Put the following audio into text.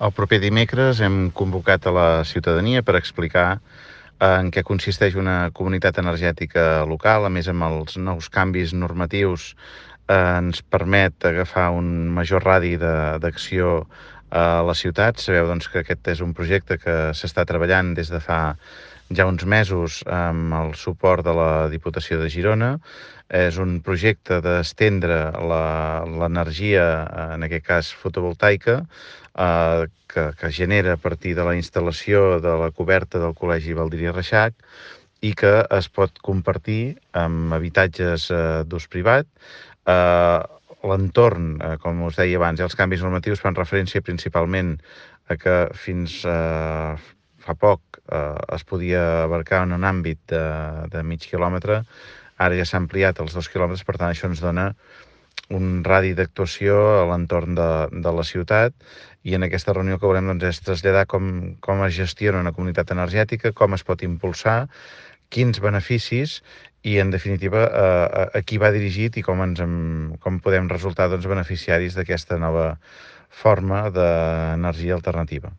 El proper dimecres hem convocat a la ciutadania per explicar en què consisteix una comunitat energètica local. A més, amb els nous canvis normatius ens permet agafar un major radi d'acció a la ciutat. Sabeu doncs, que aquest és un projecte que s'està treballant des de fa ja uns mesos amb el suport de la Diputació de Girona. És un projecte d'estendre l'energia, en aquest cas fotovoltaica, que genera a partir de la instal·lació de la coberta del Col·legi Baldiri Reixac i que es pot compartir amb habitatges d'ús privat. L'entorn, com us deia abans, els canvis normatius fan referència principalment a que fins fa poc es podia abarcar en un àmbit de mig quilòmetre. Ara ja s'ha ampliat als 2 quilòmetres, per tant això ens dona un radi d'actuació a l'entorn de la ciutat, i en aquesta reunió el que volem doncs, és traslladar com es gestiona una comunitat energètica, com es pot impulsar, quins beneficis i, en definitiva, a qui va dirigit i com podem resultar doncs, beneficiaris d'aquesta nova forma d'energia alternativa.